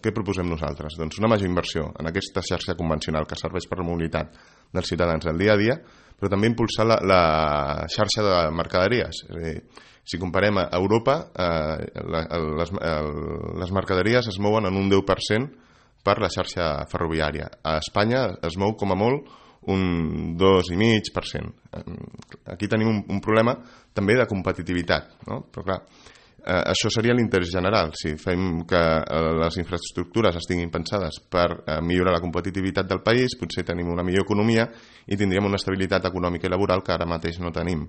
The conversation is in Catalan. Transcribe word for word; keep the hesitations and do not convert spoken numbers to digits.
Què proposem nosaltres? Doncs una major inversió en aquesta xarxa convencional que serveix per la mobilitat dels ciutadans del dia a dia, però també impulsar la, la xarxa de mercaderies. És a dir, si comparem a Europa, eh, la, les, les mercaderies es mouen en un deu per cent per la xarxa ferroviària. A Espanya es mou com a molt un dos coma cinc per cent. Aquí tenim un, un problema també de competitivitat, no? Però clar, Eh, això seria l'interès general. Si fem que eh, les infraestructures estiguin pensades per eh, millorar la competitivitat del país, potser tenim una millor economia i tindríem una estabilitat econòmica i laboral que ara mateix no tenim.